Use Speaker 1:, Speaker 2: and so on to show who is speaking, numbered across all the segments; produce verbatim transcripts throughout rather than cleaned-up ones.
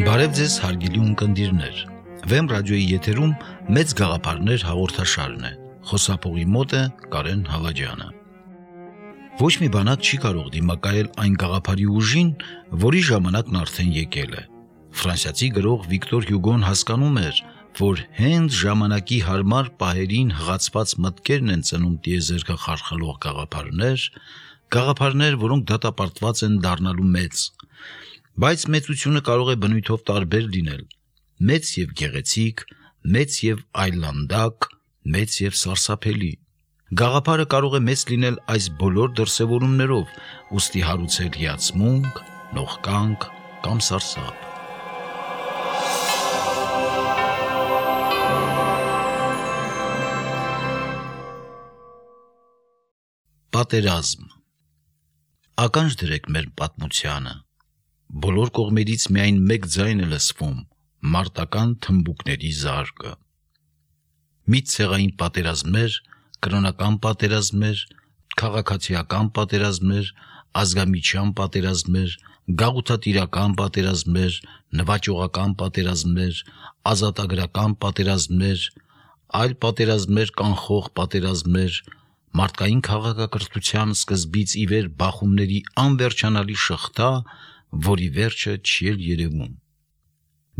Speaker 1: Բարև ձեզ հարգելի ունկնդիրներ, Վեմ ռադիոյի եթերում մեծ գաղափարներ հաղորդաշարն է, խոսափողի մոտ է Կարեն Հավաջյանը։ Ոչ մի բանակ չի կարող դիմակայել այն գաղափարի ուժին, որի ժամանակն արդեն եկել է։ Ֆրանսիացի գրող Վիկտոր Հյուգոն հասկանում էր, որ հենց ժամանակի հարմար պահերին հղացված մտքերն են ծնում տիեզերքը խարխլող գաղափարներ, գաղափարներ, որոնք դատապարտված են դառնալու մեծ։ Բայց մեծությունը կարող է բնույթով տարբեր լինել, մեծ և գեղեցիկ, մեծ և այլանդակ, մեծ և սարսափելի։ Գաղափարը կարող է մեծ լինել այս բոլոր դրսևորումներով, ուստի հարուցել հիացմունք, նողկանք կամ սարսափ։ Պատերազմ։ Ականջ դրեք մեր պատմությանը։ Բոլոր կողմերից միայն մեկ ձայն է լսվում՝ մարտական թմբուկների զարկը։ Մի ցեղային պատերազմներ, կրոնական պատերազմներ, քաղաքացիական պատերազմներ, ազգամիջյան պատերազմներ, գաղութատիրական պատերազմներ, նվաճողական պատերազմներ, ազատագրական պատերազմներ, այլ պատերազմներ կանխող պատերազմներ, մարդկային քաղաքակրթության սկզբից ի վեր բախումների անվերջանալի շղթա, որի վերջը չի էլ երևում։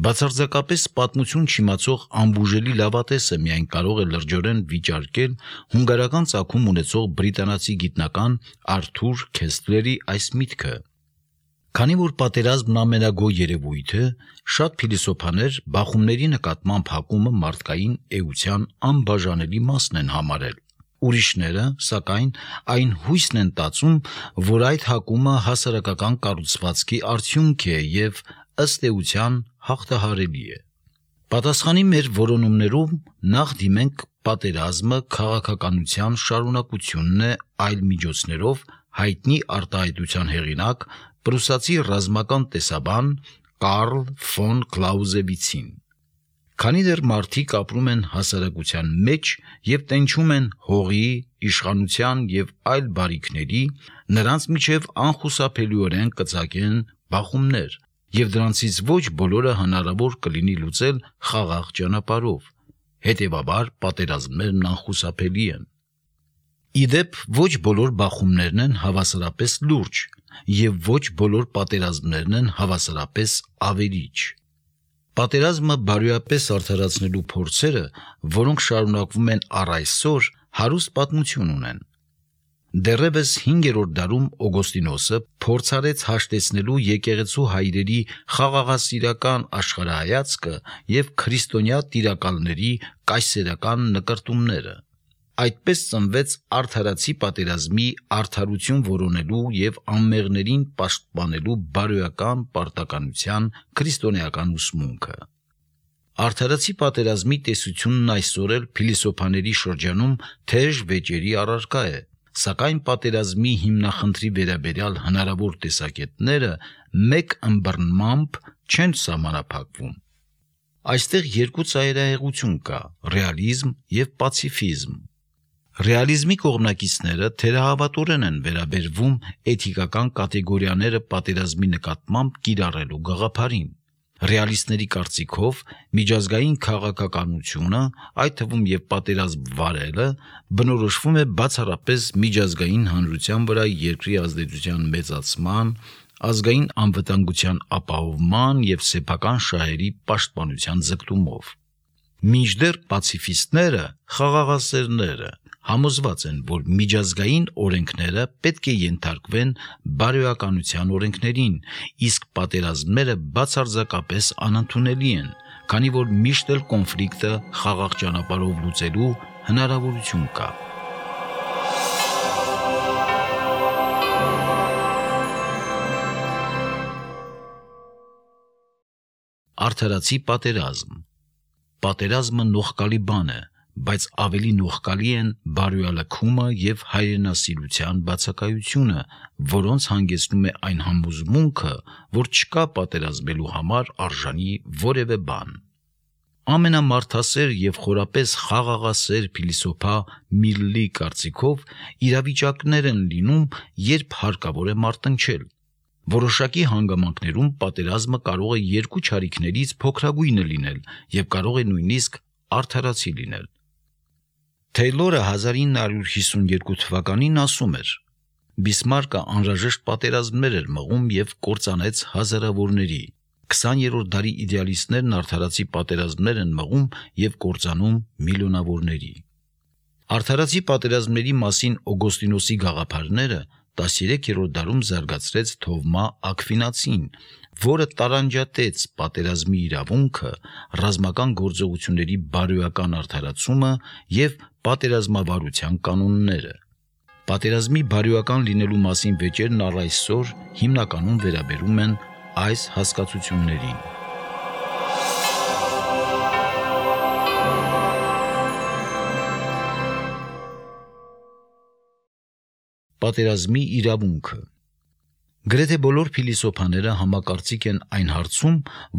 Speaker 1: Բացարձակապես պատմություն չիմացող անբուժելի լավատեսը միայն կարող է լրջորեն վիճարկել հունգարական ծագում ունեցող բրիտանացի գիտնական Արթուր Քեսլերի այս միտքը։ Քանի որ պատերազմն ամենագոյ երևույթ է, շատ փիլիսոփաներ բախումների նկատմամբ հակումը մարդկային էության անբաժանելի մասն են համարել։ Ուրիշները, սակայն, այն հույսն են տածում, որ այդ հակումը հասարակական կառուցվածքի արդյունք է և ըստ էության հաղթահարելի է։ Պատասխանի մեր որոնումներում նախ դիմենք պատերազմը քաղաքականության շարունակությունն է այլ միջոցներով հայտնի արտահայտության հեղինակ պրուսացի ռազմական տեսաբան Կարլ ֆոն Կլաուզևիցին։ Քանի դեռ մարդիկ ապրում են հասարակության մեջ և տենչում են հողի, իշխանության և այլ բարիքների, նրանց միջև անխուսափելիորեն կծագեն բախումներ, և դրանցից ոչ բոլորը հնարավոր կլինի լուծել խաղաղ ճանապարհով, հետևաբար պատերազմներն անխուսափելի են։ Ի դեպ, ոչ բոլոր բախումներն են հավասարապես լուրջ, և ոչ բոլոր պատերազմներն են հավասարապես ավերիչ։ Պատերազմը բարոյապես արդարացնելու փորձերը, որոնք շարունակվում են առ այսօր, հարուստ պատմություն ունեն։ Դեռևս հինգերորդ դարում Օգոստինոսը փորձարեց հաշտեցնելու եկեղեցու հայրերի խաղաղասիրական աշխարհայացքը և քրիստոնյա տիրակալների կայսերական նկրտումները։ Այդպես ծնվեց արդարացի պատերազմի արդարություն որոնելու և անմեղներին պաշտպանելու բարոյական պարտականության քրիստոնեական ուսմունքը։ Արդարացի պատերազմի տեսությունն այսօր էլ փիլիսոփաների շրջանում թեժ վեճերի առարկա է, սակայն պատերազմի հիմնախնդրի վերաբերյալ հնարավոր տեսակետները մեկ ըմբռնմամբ չեն սահմանափակվում։ Այստեղ երկու ծայրահեղություն կա՝ ռեալիզմ և պացիֆիզմ։ Ռեալիզմի կողմնակիցները թերահավատորեն են վերաբերվում էթիկական կատեգորիաները պատերազմի նկատմամբ կիրառելու գաղափարին։ Ռեալիստների կարծիքով միջազգային քաղաքականությունը, այդ թվում և պատերազմ վարելը, բնորոշվում է բացառապես միջազգային հանրության վրա երկրի ազդեցության մեծացման, ազգային անվտանգության ապահովման և սեփական շահերի պաշտպանության ձգտումով։ Մինչդեռ պացիֆիստները, խաղաղասերները, համոզված են, որ միջազգային օրենքները պետք է ենթարկվեն բարոյականության օրենքներին, իսկ պատերազմները բացարձակապես անընդունելի են, քանի որ միշտ էլ կոնֆլիկտը խաղաղ ճանապարհով լուծելու հնարավորություն կա։ Արդարացի պատերազմ։ Պատերազմը նողկալի բան է, բայց ավելի նողկալի են բարոյալքումը և հայրենասիրության բացակայությունը, որոնց հանգեցնում է այն համոզմունքը, որ չկա պատերազմելու համար արժանի որևէ բան։ ամենամարդասեր եւ խորապես խաղաղասեր փիլիսոփա Միլլի կարծիքով իրավիճակներ են լինում, երբ հարկավոր է մարտնչել։ Որոշակի հանգամանքներում պատերազմը կարող է երկու չարիքներից փոքրագույնը լինել եւ կարող է նույնիսկ արդարացի լինել։ Թեյլորը հազար ինը հարյուր հիսունյոթ թվականին ասում էր. Բիսմարկը անհրաժեշտ պատերազմներ էր մղում եւ կործանեց հազարավորների։ քսաներորդ դարի իդեալիստներն արդարացի պատերազմներ են մղում եւ կործանում միլիոնավորների։ Արդարացի պատերազմների մասին Օգոստինոսի գաղափարները տասներեքերորդ դարում զարգացրեց Թովմա Աքվինացին, որը տարանջատեց պատերազմի իրավունքը, ռազմական գործողությունների բարոյական արդարացումը եւ պատերազմավարության կանոնները։ Պատերազմի բարոյական լինելու մասին վեճերն առ այսօր հիմնականում վերաբերում են այս հասկացություններին։ Պատերազմի իրավունքը։ Գրեթե բոլոր փիլիսոփաները համակարծիք են այն հարցում,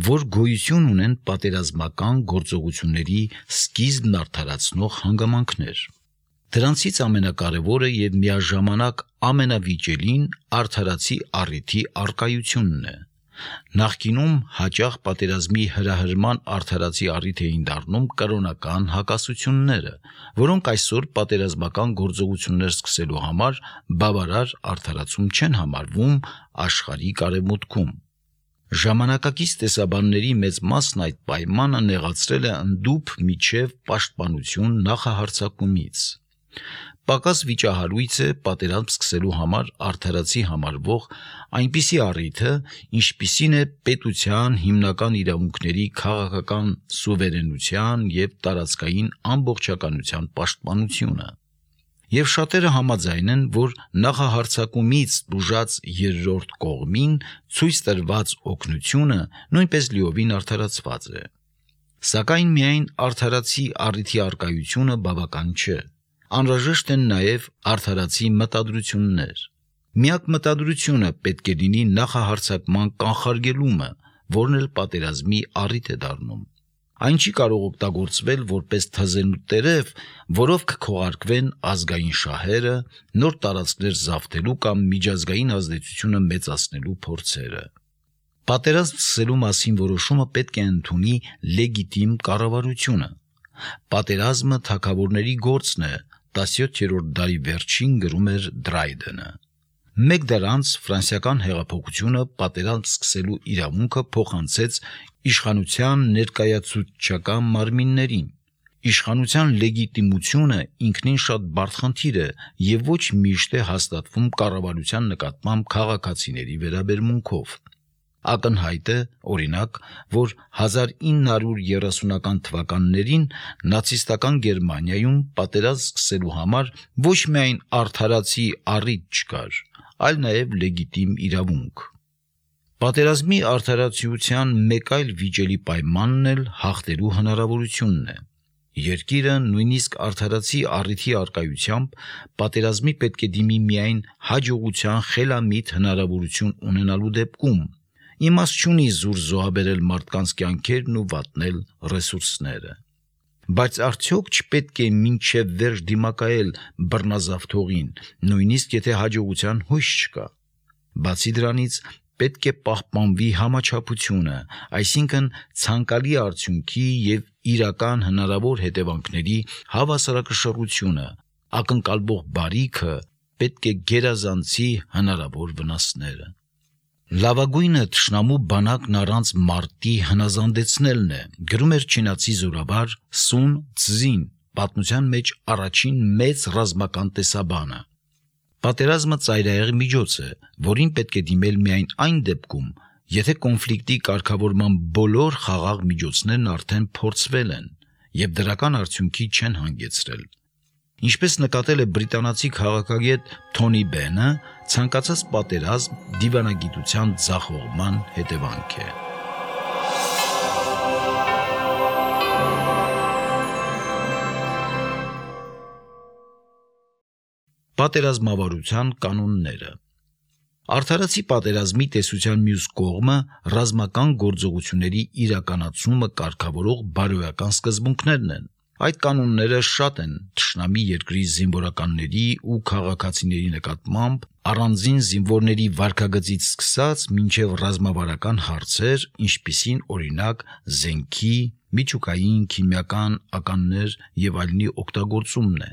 Speaker 1: որ գոյություն ունեն պատերազմական գործողությունների սկիզբն արդարացնող հանգամանքներ։ Դրանցից ամենակարևորը եւ միաժամանակ ամենավիճելին արդարացի առիթի առկայությունն է։ Նախկինում հաճախ պատերազմի հրահրման արդարացի առիթ էին դառնում կրոնական հակասությունները, որոնք այսօր պատերազմական գործողություններ սկսելու համար բավարար արդարացում չեն համարվում աշխարհիկ արևմուտքում։ Ժամանակակից տեսաբանների մեծ մասն այդ պայմանը նեղացրել է ընդդուփ միջև պաշտպանություն նախահարձակումից։ Պակաս վիճահարույց է պատերազմ սկսելու համար արդարացի համարվող այնպիսի առիթը, ինչպիսին է պետության հիմնական իրավունքների քաղաքական սուվերենության եւ տարածքային ամբողջականության պաշտպանությունը։ Եվ շատերը համաձայն են, որ նախահարձակումից տուժած երրորդ կողմին ցույց տրված օգնությունը նույնպես լիովին արդարացված է։ Սակայն միայն արդարացի առիթի առկայությունը բավական չէ։ Անհրաժեշտ են նաև արդարացի մտադրություններ։ Միակ մտադրությունը պետք է լինի նախահարձակման կանխարգելումը, որն էլ պատերազմի առիթ է դառնում։ Այն չի կարող օգտագործվել որպես թզենու տերև, որով կքողարկվեն ազգային շահերը, նոր տարածքներ զավթելու կամ միջազգային ազդեցությունը մեծացնելու փորձերը։ Պատերազմ սկսելու մասին որոշումը պետք է ընդունի լեգիտիմ կառավարությունը։ Պատերազմը թագավորների գործն է, տասնյոթերորդ դարի վերջին գրում էր Դրայդենը։ Մեկ դար անց ֆրանսիական հեղափոխությունը պատերազմ սկսելու իրավունքը փոխանցեց իշխանության ներկայացուցչական մարմիններին։ Իշխանության լեգիտիմությունը ինքնին շատ բարդ խնդիր է եւ ոչ միշտ է հաստատվում կառավարության նկատմամբ քաղաքացիների վերաբերմունքով։ Ակնհայտ է, օրինակ, որ հազար ինը հարյուր երեսունական թվականներին նացիստական Գերմանիայում պատերազմ սկսելու համար ոչ միայն արդարացի առիթ չկար, այլ նաև լեգիտիմ իրավունք։ Պատերազմի արդարացիության մեկ այլ վիճելի պայմանն էլ հաղթելու հնարավորությունն է։ Երկիրը նույնիսկ արդարացի առիթի առկայությամբ պատերազմի պետք է դիմի միայն հաջողության խելամիտ հնարավորություն ունենալու դեպքում։ Իմաստ չունի զուր զոհաբերել մարդկանց կյանքերն ու վատնել ռեսուրսները։ Բայց արդյոք չպետք է մինչև վերջ դիմակայել բռնազավթողին, նույնիսկ եթե հաջողության հույս չկա։ Բացի դրանից պետք է պահպանվի համաչափությունը, այսինքն ցանկալի արդյունքի եւ իրական հնարավոր հետևանքների հավասարակշռությունը, ակնկալվող բարիքը պետք է գերազանցի հնարավոր վնասները։ Լավագույնը թշնամու բանակն առանց մարտի հնազանդեցնելն է, գրում էր չինացի զորավար Սուն Ցզին, պատմության մեջ առաջին մեծ ռազմական տեսաբանը։ Պատերազմը ծայրահեղ միջոց է, որին պետք է դիմել միայն այն դեպքում, եթե կոնֆլիկտի կարգավորման բոլոր խաղաղ միջոցներն արդեն փորձվել են եւ դրական արդյունքի չեն հանգեցրել։ Ինչպես նկատել է բրիտանացի քաղաքագետ Թոնի Բենը, ցանկացած պատերազմ դիվանագիտության ձախողման հետևանք է։ Պատերազմավարության կանոնները։ Արդարացի պատերազմի տեսության մյուս կողմը ռազմական գործողությունների իրականացումը կարգավորող բարոյական սկզբունքներն են։ Այդ կանոնները շատ են թշնամի երկրի զինվորականների ու քաղաքացիների նկատմամբ, առանձին զինվորների վարքագծից սկսած մինչև ռազմավարական հարցեր, ինչպիսին օրինակ զենքի, միջուկային, քիմիական ականներ եւ այլնի օգտագործումն է։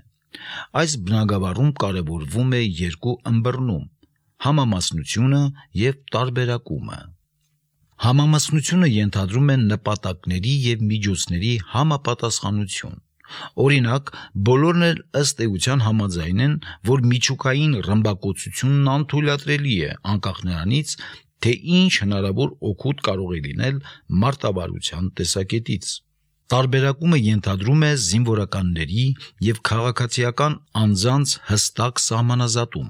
Speaker 1: Այս բնագավառում կարևորվում է երկու ըմբռնում՝ համամասնությունը եւ տարբերակումը։ Համամասնությունը ենթադրում է նպատակների եւ միջոցների համապատասխանություն։ Օրինակ, բոլորն էլ ըստ էության համաձայն են, որ միջուկային ռմբակոծությունն անթույլատրելի է, անկախ նրանից, թե ինչ հնարավոր օգուտ կարող է լինել մարտավարության տեսակետից։ Տարբերակումը ենթադրում է զինվորականների եւ քաղաքացիական անձանց հստակ սահմանազատում։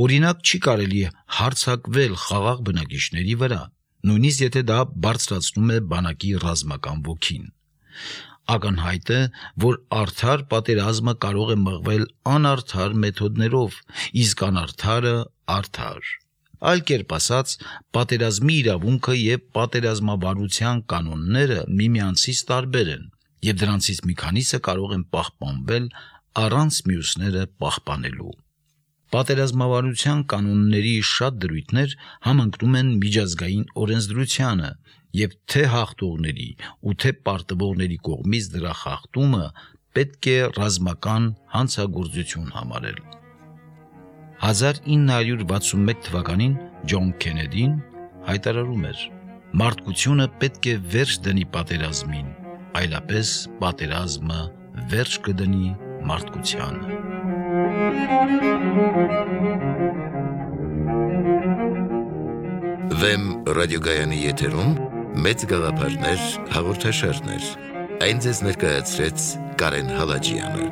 Speaker 1: Օրինակ, չի կարելի հարձակվել խաղաղ բնակիչների վրա, նույնիսկ եթե դա բարձրացնում է բանակի ռազմական ոգին։ Ակնհայտ է, որ արդար պատերազմը կարող է մղվել անարդար մեթոդներով, իսկ անարդարը արդար։ Այլ կերպ ասած, պատերազմի իրավունքը եւ պատերազմավարության կանոնները միմյանցից տարբեր են, եւ դրանցից մի քանիսը կարող են պահպանվել առանց մյուսները պահպանելու։ Պատերազմավարության կանոնների շատ դրույթներ համընկնում են միջազգային օրենսդրությանը եւ թե հաղթողների ու թե պարտվողների կողմից դրա խախտումը պետք է ռազմական հանցագործություն համարել։ հազար ինը հարյուր վաթսունմեկ թվականին Ջոն Քենեդին հայտարարում էր. «Մարդկությունը պետք է վերջ դնի պատերազմին, այլապես պատերազմը վերջ կդնի մարդկությանը»։
Speaker 2: Վեմ ռադիոգայանի եթերում մեծ գաղափարներ հաղորդաշարներ։ Այն ձեզ ներկայացրեց Կարեն Հալաջյանը։